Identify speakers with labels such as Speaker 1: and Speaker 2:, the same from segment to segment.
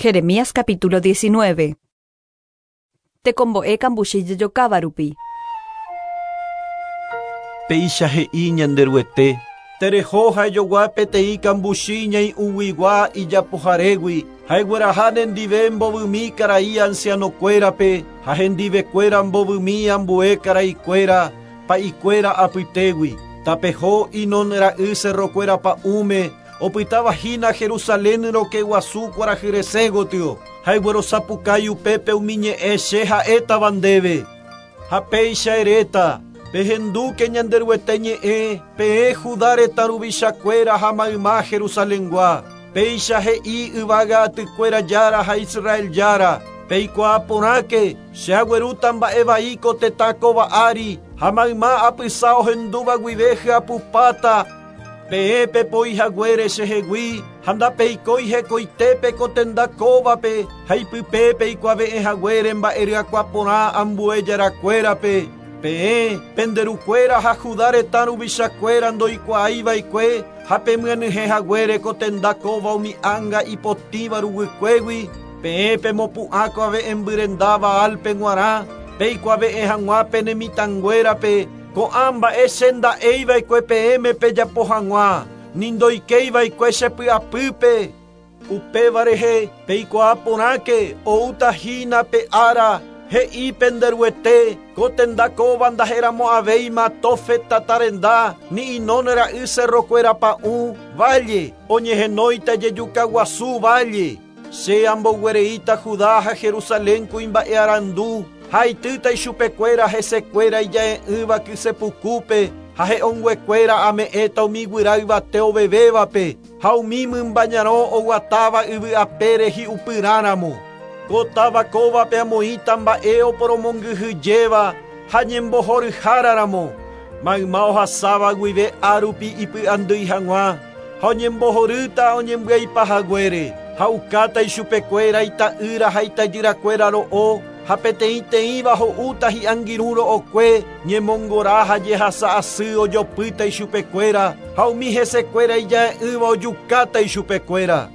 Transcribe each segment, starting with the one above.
Speaker 1: Jeremías capítulo 19. Tekombo'e kambuchi jejokáva rupi.
Speaker 2: Péicha he'i Ñanderuete, Tereho ha ejogua peteĩ kambuchi ñai'ũguigua ijapoharégui, ha egueraha nendive mbovymi karai ancianokuérape ha hendivekuéra mbovymi ambue karaikuéra pa'ikuéra apytégui. Tapeho Hinom ra'y cerrokuéra pa'ũme, opytáva hína Jerusalén rokẽ guasu kuarahy resẽ gotyo, ha eguerosapukái upépe umi ñe'ẽ che ha'étava ndéve. Ha péicha eréta, Pehendúke Ñanderuete ñe'ẽ, peẽ Judá retã ruvichakuéra ha mayma Jerusalengua. Péicha he'i yvága atykuéra Jára ha Israel Jára, Peikuaa porãke, che aguerúta mba'e vai ko tetã kóva ári, ha mayma apysa ohendúva guive hyapupáta, Peẽ pepoi haguére chehegui ha ndapeikói hekoitépe ko tenda kóvape ha ipype peikuave'ẽ haguére mba'e ryakuã porã ambue jarakuérape. Peẽ, pende rukuéra ha Judá retã ruvichakuéra ndoikuaái va'ekue ha pemyenyhẽ haguére ko tenda kóva umi ánga ipotĩva ruguykuégui, peẽ pemopu'ã kuave'ẽmby renda Baálpe g̃uarã, peikuave'ẽ hag̃ua pene mitãnguérape ko'ã mba'e che nda'éi va'ekue peẽme pejapo hag̃ua, ni ndoikéi va'ekue che py'apýpe. Upéva rehe peikuaa porãke oúta hína pe ára, he'i pende Ruete, ko tenda kóva ndaheramo'ãvéima Tófet tata renda, ni Hinom ra'y cerrokuéra pa'ũ, valle, oñehenóita jejuka guasu valle. Che amboguereíta Judá ha Jerusalén kuimba'e arandu, ha aitýta ichupekuéra hesekuéra ija'e'ỹva kysepukúpe, ha he'õnguekuéra ame'ẽta umi guyra yvate ovevévape, ha umi mymba ñarõ oguatáva yvy apére hi'upyrãramo. Ko táva kóvape amoĩta mba'e oporomongyhyjéva ha ñembohoryháraramo, mayma ohasáva guive árupi ipy'andýi hag̃ua, ha oñembohorýta oñembyaipa haguére, ha ukáta ichupekuéra ita'ýra ha itajyrakuéra ro'o, ha peteĩteĩva ho'úta hi'angirũ ro'okue, ñemongora ha jehasa asy ojopýta ichupekuéra, ha umi hesekuéra ija'e'ỹva ojukáta ichupekuéra.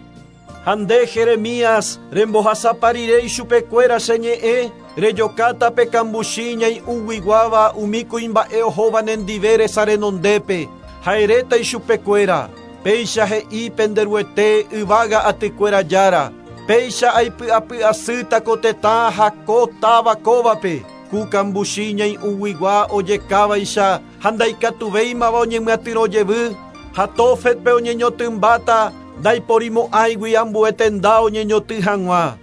Speaker 2: Ha nde Jeremías, rembohasapa rire ichupekuéra che ñe'ẽ, rejokáta pe kambuchi ñai'ũguiguáva umi kuimba'e ohóva nendive resa renondépe, ha eréta ichupekuéra, péicha he'i pende Ruete yvága atykuéra Jára, péicha aipy'apy'asýta ko tetã ha ko táva kóvape, ku kambuchi ñai'ũguigua ojekávaicha ha ndaikatuvéimava oñemyatyrõ jevy, ha Tófetpe oñeñotymbáta ndaiporimo'ãigui ambue tenda oñeñoty hag̃ua.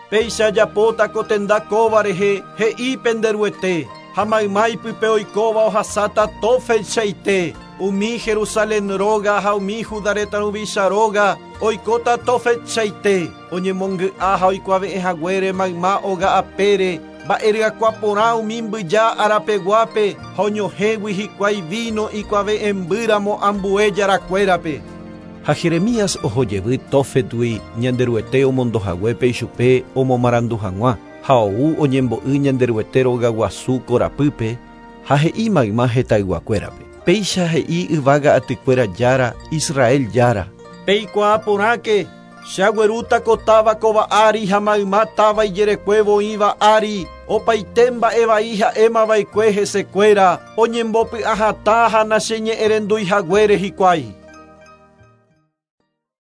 Speaker 2: Péicha ajapóta ko tenda kóva rehe he'i pende Ruete, ha mayma ipype oikóva ohasáta Tófetchaite, umi Jerusalén róga ha umi Judá retã ruvicha róga oikóta Tófetchaite, oñemongy'a ha oikuave'ẽ haguére mayma óga apére, mba'e ryakuã porã umi mbyja arapeguápe ha oñohẽgui hikuái vino ikuave'ẽmbýramo ambue jarakuérape. Ha Jeremías ohojevy Tófetgui Ñanderuete omondohaguépe ichupe omomarandu hag̃ua, ha ou oñembo'y Ñanderuete rogaguasu korapýpe ha he'i mayma hetãyguakuérape. Péicha he'i yvága atykuéra Jára, Israel Jára. Peikuaa porãke, che aguerúta ko táva kóva ári ha mayma táva ijerekuévo oĩva ári, opaite mba'e vai ha'émava'ekue hesekuéra, oñembopy'ahatã ha nacheñe'ẽrendúi haguére hikuái.